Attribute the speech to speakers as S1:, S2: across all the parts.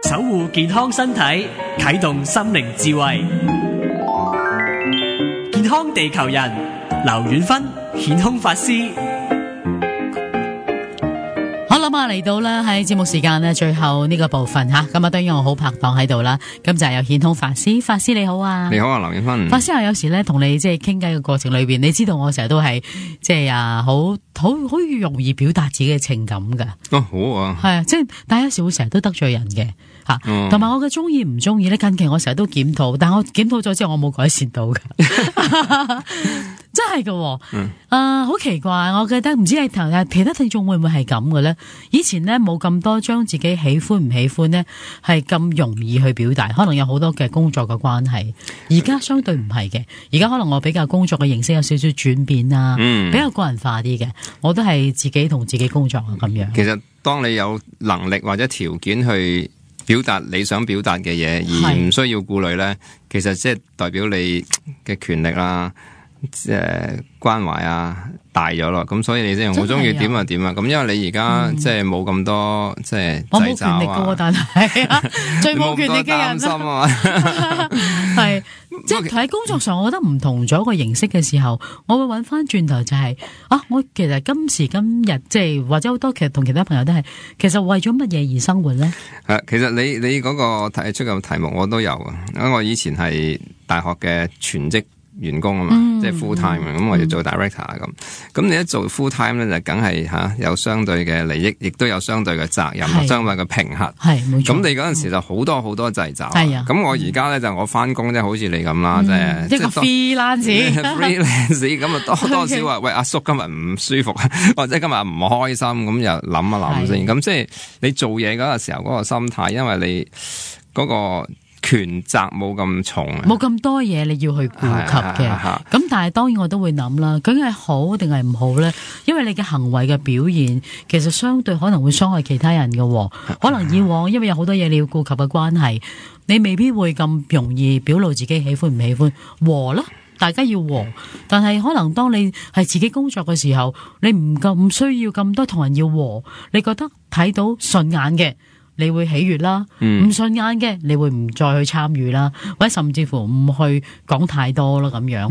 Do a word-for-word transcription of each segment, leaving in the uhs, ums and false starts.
S1: 守護健康身體，啟動心靈智慧。健康地球人，劉遠芬顯空法師。
S2: 好啦，咁啊嚟到啦，喺節目時間呢，最後呢個部分吓，咁啊當然我好拍檔喺度啦，咁就係有顯空法師，法師你好啊，
S3: 你好啊，劉遠芬。
S2: 法師啊，有時咧同你即係傾偈嘅過程裏邊，你知道我成日都係即係啊，好好好容易表達自己嘅情感噶。
S3: 哦，好啊，
S2: 係啊，即係但係有時會成日都得罪人嘅吓，同埋、嗯、我嘅中意唔中意咧，近期我成日都檢討，但係我檢討咗之後，我冇改善到噶。真係噶、哦，嗯，啊、呃，好奇怪，我記得唔知係頭其他聽眾會唔會係咁嘅咧？以前咧冇咁多將自己喜歡唔喜歡咧係咁容易去表達，可能有好多嘅工作嘅關係。而家相對唔係嘅，而家可能我比較工作嘅形式有少少轉變啊，嗯，比較個人化啲嘅，我都係自己同自己工作啊咁樣。
S3: 其實當你有能力或者條件去表達你想表達嘅嘢，而唔需要顧慮咧，其實即係代表你嘅權力啦。即係關懷啊大咗咯，咁所以你即係好中意點就點啊，咁因為你而家即係冇咁多即係掣肘啊，我冇權力噶，但係啊最冇權力嘅人啊，係即係喺工作上，我覺得唔同咗個形式嘅時候，我會揾翻轉頭就係、是、啊，我其實今時今日即係或者好多其實同其他朋友都係，其實為咗乜嘢而生活咧？係，其實你你嗰個提出嘅題目我都有啊，因為我以前係大學嘅全職員工啊嘛，嗯、即係 full time 咁、嗯，我要做 director 咁。咁你一做 full time 咧，就梗係吓有相對嘅利益，亦都有相對嘅責任，相對嘅評核。
S2: 係冇錯。
S3: 咁你嗰陣時就好多好多掣肘。
S2: 係啊。
S3: 咁我而家咧就我翻工即係好似你咁啦，即係
S2: 一個 freelance，freelance
S3: 咁啊多多少話喂阿叔今日唔舒服，或者今日唔開心，咁又諗一諗先。咁即係你做嘢嗰個時候嗰個心態，因為你嗰個權責冇咁重，
S2: 冇咁多嘢你要去顧及嘅。咁但係當然我都會諗啦，究竟係好定係唔好咧？因為你嘅行為嘅表現，其實相對可能會傷害其他人嘅。可能以往因為有好多嘢你要顧及嘅關係，你未必會咁容易表露自己喜歡唔喜歡。和啦，大家要和。但係可能當你係自己工作嘅時候，你唔夠唔需要咁多同人要和。你覺得睇到順眼嘅，你會喜悅啦，唔順眼嘅你會唔再去參與啦，或者甚至乎唔去講太多啦咁樣。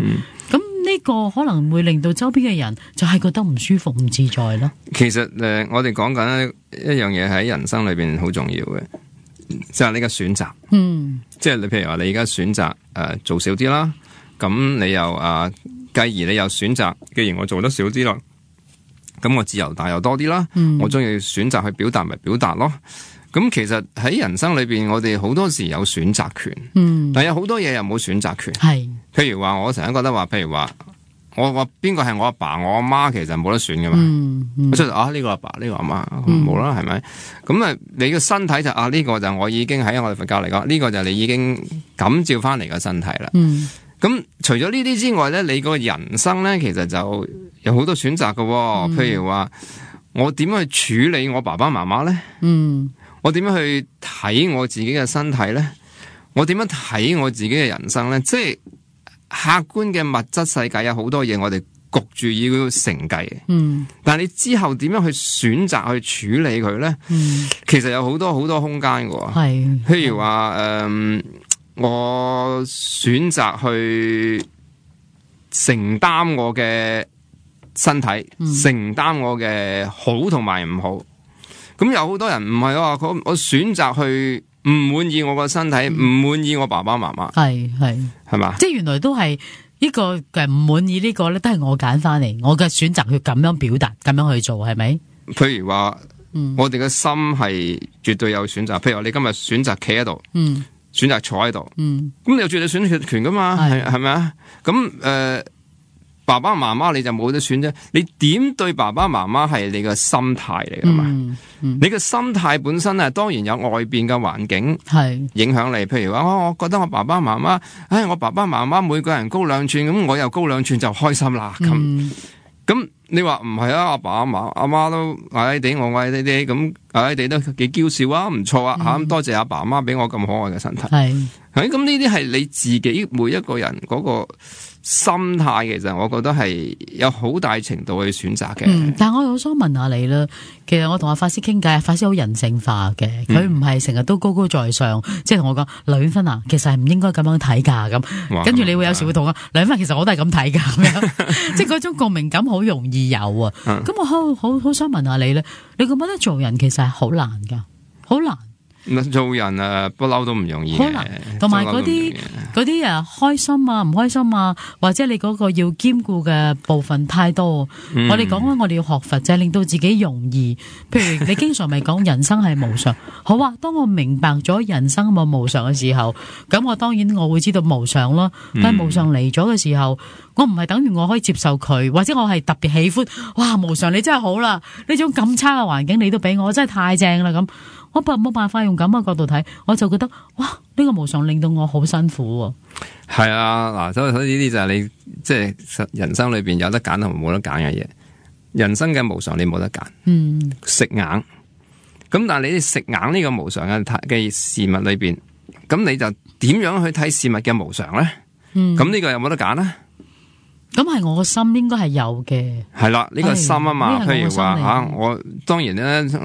S2: 咁呢、嗯、個可能會令到周邊嘅人就係覺得唔舒服、唔自在啦。
S3: 其實誒、呃，我哋講緊一樣嘢喺人生裏邊好重要嘅，就係、是、你嘅選擇。嗯，即係你譬如話你而家選擇誒、呃、做少啲啦，咁你又啊，繼、呃、而你又選擇，既然我做得少啲啦，咁我自由大又多啲啦。嗯、我中意選擇去表達咪表達咯。咁其實喺人生裏邊，我哋好多時有選擇權，嗯，但有好多嘢又冇選擇權。係，譬如話我成日覺得話，譬如話我話邊個係我阿爸，我阿媽，其實冇得選噶嘛。嗯嗯、我出啊呢、這個阿爸，呢、這個阿媽冇啦，係咪？咁啊，你個身體就啊呢、這個就我已經喺我哋佛教嚟講，呢、這個就你已經感召翻嚟嘅身體啦。嗯，咁除咗呢啲之外咧，你個人生咧，其實就有好多選擇噶、哦。嗯、譬如話我點樣去處理我爸爸媽媽咧？嗯。我點樣去睇我自己嘅身體咧？我點樣睇我自己嘅人生咧？即係客觀嘅物質世界有好多嘢，我哋焗住要承繼。嗯，但係你之後點樣去選擇去處理佢咧？嗯，其實有好多好多空間嘅。係，譬如話誒、呃，我選擇去承擔我嘅身體，嗯、承擔我嘅好同埋唔好。咁有好多人唔係話我我選擇去唔滿意我個身體，唔滿、嗯、意我爸爸媽媽，係係係嘛？吧即係原來都係呢個嘅唔滿意呢個咧，都係我揀翻嚟，我嘅選擇去咁樣表達，咁樣去做，係咪？譬如話，嗯、我哋嘅心係絕對有選擇。譬如話你今日選擇企喺度，嗯、選擇坐喺度，咁、嗯、你有絕對選擇權噶嘛？係係咪啊？咁誒。呃爸爸媽媽你就冇得選啫，你點對爸爸媽媽係你個心態嚟噶嘛？嗯嗯、你個心態本身啊，當然有外邊嘅環境係影響你。譬如話，我我覺得我爸爸媽媽，唉，我爸爸媽媽每個人高兩寸，咁我又高兩寸就開心啦。咁咁、嗯、你話唔係啊？阿爸阿媽阿媽都矮矮地，我矮矮地，咁矮矮地都幾嬌笑啊，唔錯啊吓！咁、嗯、多謝阿爸阿媽俾我咁可愛嘅身體。係，咁呢啲係你自己每一個人嗰個心態，其實我覺得係有好大程度去選擇嘅、嗯。
S2: 但係我好想問下你啦，其實我同阿法師傾偈，法師好人性化嘅，佢唔係成日都高高在上，即係同我講劉婉芬啊，其實係唔應該咁樣睇噶咁。跟住你會有時會同我劉婉芬，其實我都係咁睇噶咁樣，即係嗰種共鳴感好容易有啊。咁、嗯、我好好好想問下你咧，你覺唔覺得做人其實係好難噶，好難？
S3: 做人啊，不嬲都唔容易嘅，
S2: 同埋嗰啲嗰啲啊，開心啊，唔開心啊，或者你嗰個要兼顧嘅部分太多。嗯、我哋講緊我哋要學佛，就係令到自己容易。譬如你經常咪講人生係無常，好啊。當我明白咗人生冇無常嘅時候，咁我當然我會知道無常咯。但係無常嚟咗嘅時候，我唔係等於我可以接受佢，或者我係特別喜歡。哇，無常你真係好啦，呢種咁差嘅環境你都俾我，真係太正啦咁。我冇辦法用咁嘅角度睇，我就覺得哇，呢、這個無常令到我好辛苦喎。
S3: 係啊，嗱，所以所以呢啲就係你即係、就是、人生裏邊有得揀同冇得揀嘅嘢。人生嘅無常你冇得揀，嗯，食硬。咁但係你食硬呢個無常嘅嘅事物裏邊，咁你就點樣去睇事物嘅無常咧？嗯，咁呢個有冇得揀咧？
S2: 咁係我個心應該係有嘅，
S3: 係啦，呢、這個心啊嘛，譬如話吓，我當然咧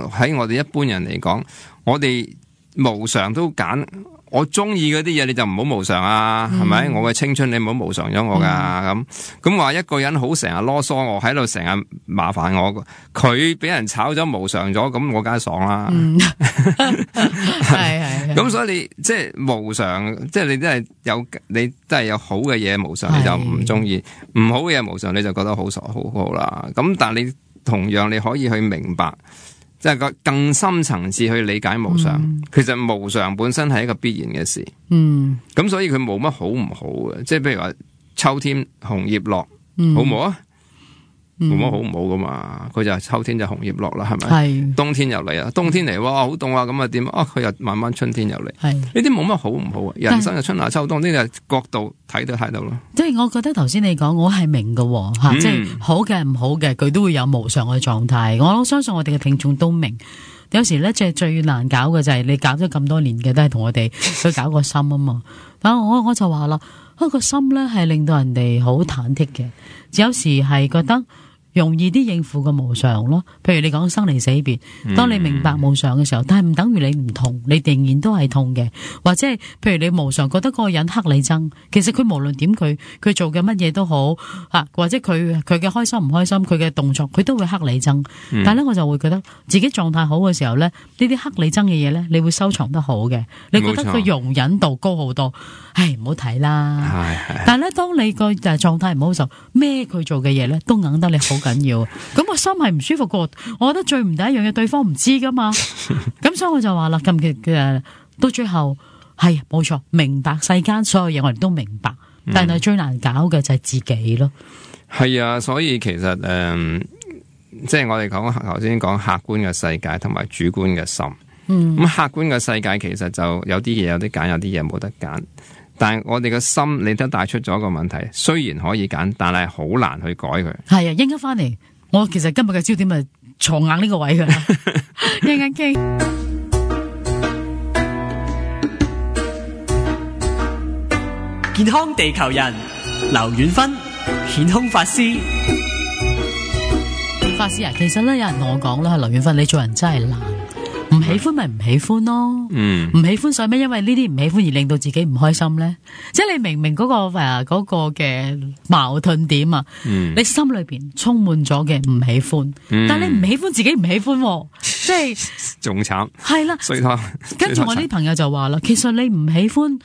S3: 喺我哋一般人嚟講，我哋無常都揀，我中意嗰啲嘢你就唔好無常啊，係、嗯、咪？我嘅青春你唔好無常咗我噶，咁咁話一個人好成日囉嗦，我喺度成日麻煩我，佢俾人炒咗無常咗，咁我梗係爽啦。係係，咁所以你即係無常，即係你都係有，你都係有好嘅嘢無常，你就唔中意；唔好嘅嘢無常，你就覺得好傻好好啦。咁但係你同樣你可以去明白。即係個更深層次去理解無常、嗯，其實無常本身係一個必然嘅事。嗯，咁所以佢冇乜好唔好嘅，即係譬如話秋天紅葉落，嗯、好唔好啊？冇、嗯、乜好唔好噶嘛？佢就係秋天就紅葉落啦，係咪？係。冬天又嚟啊！冬天嚟哇，好凍啊！咁啊點啊？佢又慢慢春天又嚟。係。呢啲冇乜好唔好啊？人生嘅春夏秋冬呢個角度睇都睇到咯。即係我覺得頭先你講，我係明嘅吓、嗯，即係好嘅唔好嘅，佢都會有無常嘅狀態。我相信我哋嘅聽眾都明。有時咧，即係最難搞嘅就係你搞咗咁多年嘅，都係同我哋去搞個心啊嘛。但我我就話啦，嗰個心咧係令到人哋好忐忑嘅，有時係覺得。容易啲應付個無常咯，譬如你講生離死別，當你明白無常嘅時候，但係唔等於你唔痛，你仍然都係痛嘅。或者係譬如你無常覺得嗰個人黑你憎，其實佢無論點佢佢做嘅乜嘢都好啊，或者佢佢嘅開心唔開心，佢嘅動作佢都會黑你憎。嗯、但係咧我就會覺得自己狀態好嘅時候咧，呢啲黑你憎嘅嘢咧，你會收藏得好嘅，你覺得佢容忍度高好多。唉，唔好睇啦。但係咧，當你個誒狀態唔好嘅時候，咩佢做嘅嘢咧都硬得你好緊要。咁個心係唔舒服過，我覺得最唔第一樣嘢，對方唔知噶嘛。咁所以我就話啦，近期嘅到最後係冇錯，明白世間所有嘢我哋都明白，但係最難搞嘅就係自己咯。係、嗯、啊，所以其實誒、呃，即係我哋講頭先講客觀嘅世界同埋主觀嘅心。嗯，咁客觀嘅世界其實就有啲嘢有得揀，有啲嘢冇得揀。但係我哋嘅心，你都帶出咗一個問題，雖然可以揀，但係好難去改佢。係啊，應該翻嚟，我其實今日嘅焦點係坐硬呢個位噶啦，一陣間傾。
S1: 健康地球人，劉婉芬，顯空法師。
S2: 法師啊，其實咧有人同我講啦，劉婉芬，你做人真係難。唔喜歡咪唔喜歡咯，嗯，唔喜歡所以咩？因為呢啲唔喜歡而令到自己唔開心咧。即係你明明嗰、嗰個誒、嗰個嘅矛盾點啊，嗯，你心裏邊充滿咗嘅唔喜歡，嗯、但係你唔喜歡自己唔喜歡、啊，即係仲慘。係啦，所以跟住我啲朋友就話啦，其實你唔喜歡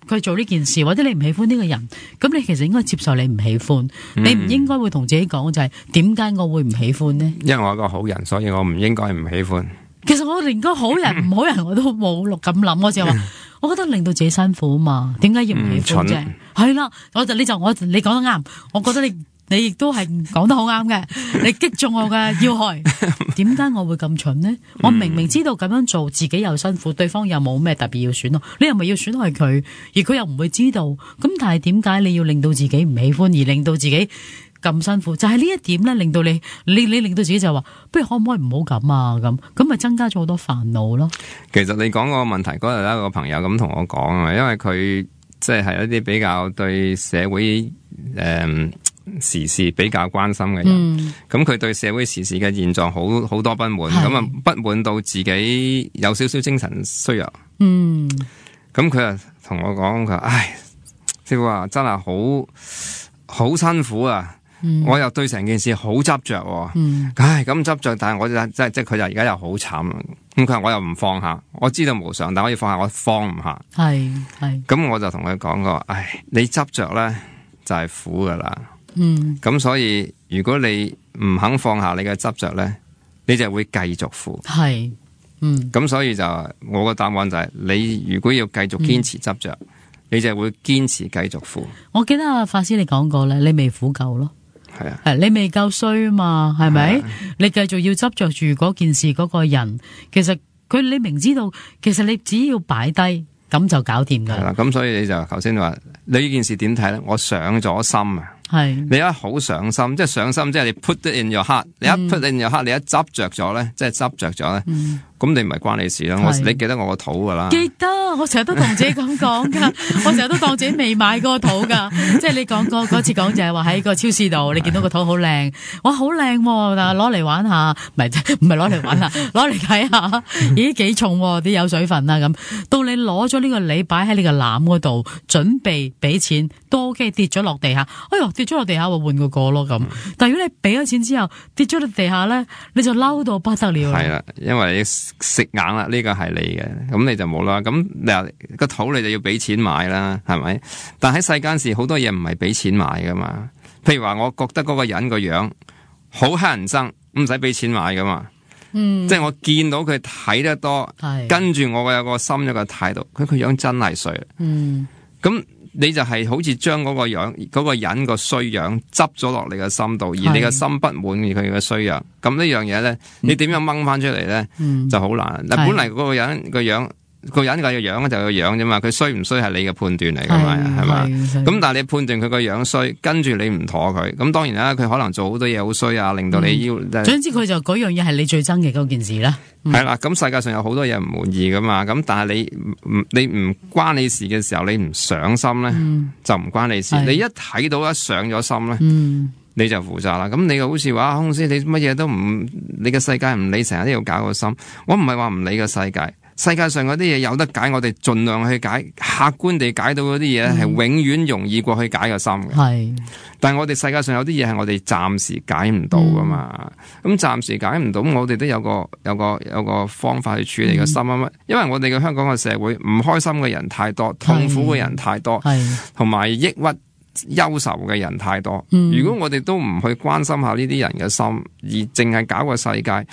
S2: 佢做呢件事，或者你唔喜歡呢個人，咁你其實應該接受你唔喜歡，嗯、你唔應該會同自己講就係點解我會唔喜歡呢？因為我係個好人，所以我唔應該唔喜歡。其實我連個好人唔好人我都冇咁諗，我就話，我覺得令到自己辛苦啊嘛，點解要唔喜歡啫？係啦，我就你就我你講得啱，我覺得你你亦都係講得好啱嘅，你擊中我嘅要害。點解我會咁蠢呢？我明明知道咁樣做自己又辛苦，對方又冇咩特別要選咯，你又咪要選害佢，而佢又唔會知道。咁但係點解你要令到自己唔喜歡，而令到自己咁辛苦，就係、是、呢一點咧，令到你你你令到自己就話，不如可唔可以唔好咁啊？咁咁咪增加咗好多煩惱咯。
S3: 其實你講個問題嗰日咧，個朋友咁同我講啊，因為佢即係係一啲比較對社會誒、呃、時事比較關心嘅人，咁佢、嗯、對社會時事嘅現狀好好多不滿，咁啊是不滿到自己有少少精神衰弱。嗯，咁佢啊同我講佢，唉，師傅話真係好好辛苦啊！嗯、我又對成件事好執着，嗯、唉咁執着，但係我就即係即係佢就而家又好慘，咁佢話我又唔放下，我知道無常，但可以放下，我放唔下，係係，咁我就同佢講過，唉，你執着咧就係苦噶啦，嗯，咁所以如果你唔肯放下你嘅執着咧，你就會繼續苦，係，嗯，咁所以就我個答案就係、是，你如果要繼續堅持執着，嗯、你就會堅持繼續苦。我記得阿法師你講過咧，你未苦夠咯。係啊，你未夠衰啊嘛，係咪？啊、你繼續要執着住嗰件事嗰、嗰個人，其實佢你明知道，其實你只要擺低，咁就搞掂噶啦。咁、啊、所以你就頭先話，你呢件事點睇咧？我上咗心啊，係是你一好上心，即係上心，即係你 put it in your heart，、嗯、你一 put it in your heart，你一執着咗咧，即係執着咗咧，咁、嗯、你唔係關你事啦。是我你記得我個肚噶啦，記得，我成日都同自己咁講噶，我成日都當自己未買過個肚噶，即係你講過嗰次講就係話喺個超市度，你見到個肚好靚，哇好靚，但係攞嚟玩下，唔係唔係攞嚟玩下，攞嚟睇下，咦幾重啲有水分啦咁。到你攞咗呢個梨擺喺你個籃嗰度，準備俾錢都 OK， 跌咗落地下，哎喲跌咗落地下，我換個個咯咁。但係如果你俾咗錢之後跌咗落地下咧，你就嬲到不得了。係啦，因為你食硬啦，呢個係你嘅，咁你就冇啦。咁你話個肚你就要俾錢買啦，係咪？但喺世間事好多嘢唔係俾錢買噶嘛。譬如話，我覺得嗰個人個樣好乞人憎，唔使俾錢買噶嘛。嗯，即係我見到佢睇得多，是跟住我有個心有個態度，佢個樣真係衰。嗯，咁你就係好似將嗰個樣嗰、嗰個人個衰樣執咗落你嘅心度，而你嘅心不滿意佢嘅衰樣，咁呢樣嘢咧，你點樣掹翻出嚟咧，嗯、就好難。嗱，本嚟嗰個人個樣。個人個樣就個樣啫嘛，佢衰唔衰係你嘅判斷嚟噶嘛，係嘛？咁但係你判斷佢個樣衰，跟住你唔妥佢，咁當然啦，佢可能做好多嘢好衰啊，令到你要。總之佢就嗰樣嘢係你最憎嘅嗰件事啦。係啦，咁世界上有好多嘢唔滿意噶嘛，咁但係你唔你唔關你事嘅時候，你唔上心咧，就唔關你事。你一睇到一上咗心咧，你就負責啦。咁你又好似話空師，你乜嘢都唔，你嘅世界唔理，成日都要搞個心。我唔係話唔理個世界。世界上嗰啲嘢有得解，我哋盡量去解，客觀地解到嗰啲嘢係永遠容易過去解個心嘅。係、嗯，但係我哋世界上有啲嘢係我哋暫時解唔到噶嘛。咁暫、嗯、時解唔到，我哋都有個有個有個方法去處理個心啊乜。嗯、因為我哋嘅香港嘅社會唔開心嘅人太多，痛苦嘅人太多，同埋抑鬱憂愁嘅人太多，嗯、如果我哋都唔去關心下呢啲人嘅心，而淨係搞個世界，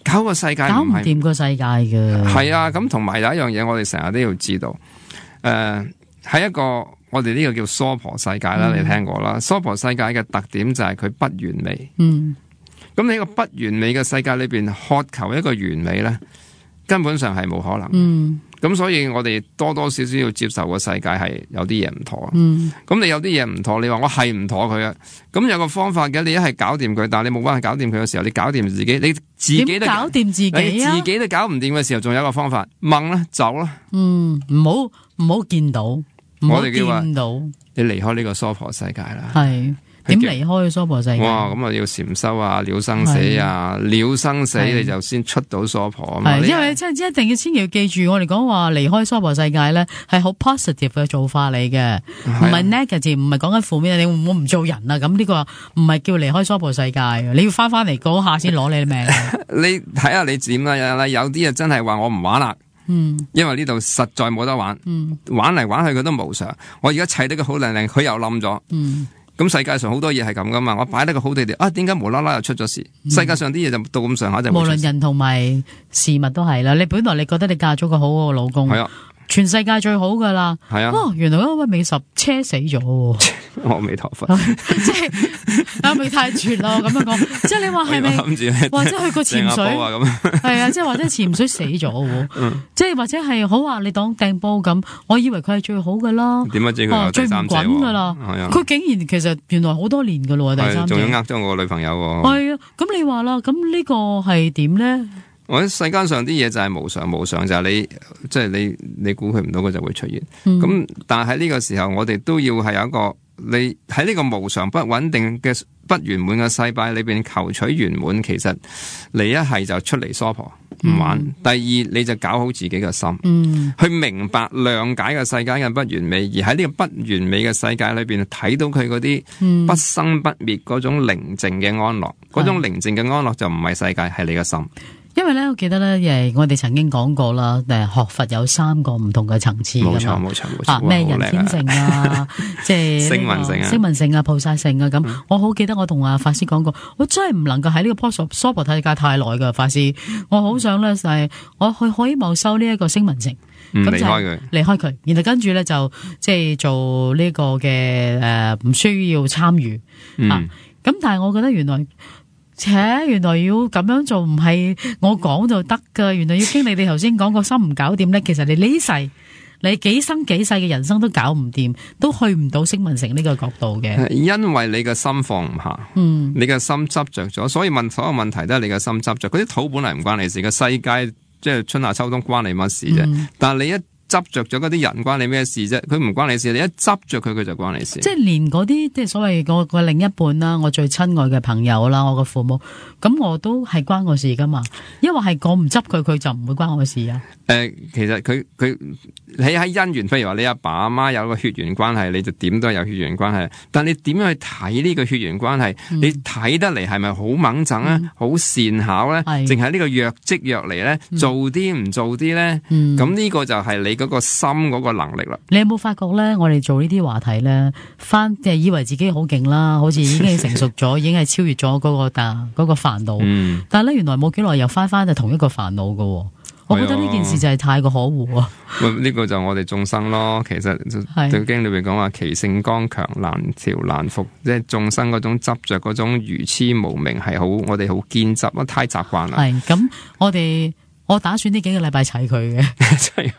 S3: 搞個世界搞唔掂個世界嘅。係啊，咁同埋有一樣嘢，我哋成日都要知道，誒、呃，喺一個我哋呢個叫娑婆世界啦，嗯、你聽過啦？娑婆世界嘅特點就係佢不完美。嗯，咁喺個不完美嘅世界裏邊，渴求一個完美咧，根本上係冇可能。嗯。咁所以我哋多多少少要接受個世界係有啲嘢唔妥。嗯，咁你有啲嘢唔妥，你話我係唔妥佢啊？咁有個方法嘅，你一係搞掂佢，但係你冇辦法搞掂佢嘅時候，你搞掂自己，你自己都搞掂自己啊！你自己都搞唔掂嘅時候，仲有一個方法，掹啦，走啦。嗯，唔好唔好見到，唔好見到，你離開呢個娑婆世界啦。係。點離開娑婆世界？哇！咁啊要禪修啊，了生死啊，了生死你就先出到娑婆啊嘛。係，因為真係一定要千祈要記住，我哋講話離開娑婆世界咧，係好 positive 嘅做法嚟嘅，唔係 negative，唔係講緊負面。你我唔做人啊，咁呢個唔係叫離開娑婆世界，你要翻翻嚟嗰下先攞你嘅命。你睇下你點啦，有啲啊真係話我唔玩啦。嗯，因為呢度實在冇得玩。嗯，玩嚟玩去佢都無常。我而家砌得個好靚靚，佢又冧咗。嗯。咁世界上好多嘢係咁噶嘛，我擺得個好地地，啊點解無啦啦又出咗事？嗯、世界上啲嘢就到咁上下就無論人同埋事物都係啦。你本來你覺得你嫁咗個好好嘅老公，係啊，
S2: 全世界最好噶啦。
S3: 係啊，
S2: 哦，原來嗰位美十車死咗，
S3: 阿彌陀佛，
S2: 即係阿咪太絕咯，咁樣講，即係你話係咪？或者去過潛水
S3: 咁，係
S2: 啊，即係或者潛水死咗，嗯、即係或者係好話你當掟煲咁，我以為佢係最好噶啦，
S3: 點解知佢有第三者？
S2: 最唔滾噶啦，佢竟然其實原來好多年噶咯，第三者
S3: 仲要呃咗我女朋友。
S2: 係啊，咁你話啦，咁呢個係點咧？
S3: 我喺世間上啲嘢就係無常無常，就係、是、你即係、就是、你你估佢唔到，佢就會出現。咁、嗯、但係喺呢個時候，我哋都要係有一個你喺呢個無常不穩定嘅不圓滿嘅世界裏邊求取圓滿。其實你一係就出嚟娑婆唔玩，嗯、第二你就搞好自己嘅心，嗯、去明白諒解嘅世界嘅不完美，而喺呢個不完美嘅世界裏邊睇到佢嗰啲不生不滅嗰種寧靜嘅安樂，嗰、嗯、種寧靜嘅安樂就唔係世界，係你嘅心。
S2: 因為咧，我記得咧，誒，我哋曾經講過啦，誒，學佛有三個唔同嘅層次噶嘛，
S3: 冇錯冇錯冇錯，
S2: 咩人天乘啊，即係聲聞乘啊，聲聞乘啊，菩薩乘啊，咁、嗯、我好記得我同阿法師講過，我真係唔能夠喺呢個娑婆世界太耐噶，法師，我好想咧就係我去可以望修呢一個聲聞乘，
S3: 咁離開佢，
S2: 離開佢，然後跟住咧就即係做呢個嘅誒，唔需要參與、嗯、啊，咁但係我覺得原來。且原來要咁樣做唔係我講就得噶，原來要經你哋頭先講個心唔搞掂咧，其實你呢世你幾生幾世嘅人生都搞唔掂，都去唔到聲聞乘呢個角度嘅。
S3: 因為你嘅心放唔下，嗯，你嘅心執着咗，所以問所有問題都係你嘅心執着。嗰啲土本嚟唔關你事嘅，世界即係春夏秋冬關你乜事啫？嗯、但係你一執着咗嗰啲人關你咩事啫？佢唔關你事，你一執着佢，佢就關你事。即係
S2: 連嗰啲即係所謂我個另一半啦，我最親愛嘅朋友啦，我個父母，咁我都係關我事噶嘛。因為係我唔執佢，佢就唔會關我事啊。
S3: 誒、呃，其實佢佢你喺姻緣，譬如話你阿爸阿媽有個血緣關係，你就點都係有血緣關係。但你點樣去睇呢個血緣關係？嗯、你睇得嚟係咪好猛整啊？好、嗯、善巧咧？淨係呢個若即若離咧？嗯、做啲唔做啲咧？咁呢、嗯、個就係你嗰個心嗰個能力啦。
S2: 你有冇發覺咧？我哋做呢啲話題咧，翻即係以為自己好勁啦，好似已經成熟咗，已經係超越咗嗰、那個但嗰、那個煩惱。嗯、但係咧，原來冇幾耐又翻翻就同一個煩惱噶。我覺得呢件事就係太過可惡啊！
S3: 呢個就我哋眾生咯。其實《道經》裏邊講話，其性剛強，難調難服，即係眾生嗰種執着，嗰種愚痴無明，係好我哋好堅執，太習慣啦。係咁，我哋我打算呢幾個禮拜砌佢嘅，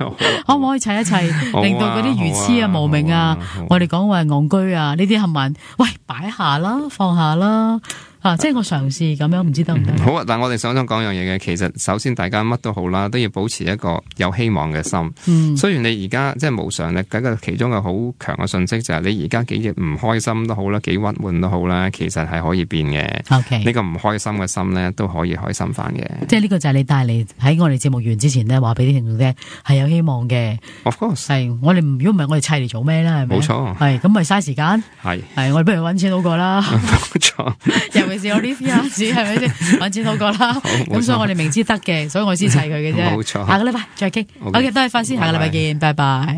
S3: 可唔可以砌一砌，令到嗰啲愚痴啊、無明啊，我哋講話戇居啊，呢啲冚唪唥，喂，擺下啦，放下啦。啊！即係我嘗試咁樣，唔知得唔得？好啊！但係我哋想想講樣嘢嘅，其實首先大家乜都好啦，都要保持一個有希望嘅心。嗯，雖然你而家即係無常咧，嗰個其中嘅好強嘅信息就係你而家幾日唔開心都好啦，幾鬱悶都好啦，其實係可以變嘅。OK，呢個唔開心嘅心咧都可以開心翻嘅。即係呢個就係你帶嚟喺我哋節目完之前咧，話俾啲聽眾聽係有希望嘅。Of course，係我哋如果唔係我哋砌嚟做咩咧？係咪？冇錯，係咁咪嘥時間。係係我哋不如搵錢好過啦。冇錯。尤其是我呢啲啊，係咪先揾錢好過啦？咁所以我哋明知得嘅，所以我先砌佢嘅啫。冇錯，下個禮拜再傾。好嘅，多謝法師，下個禮拜見，拜拜。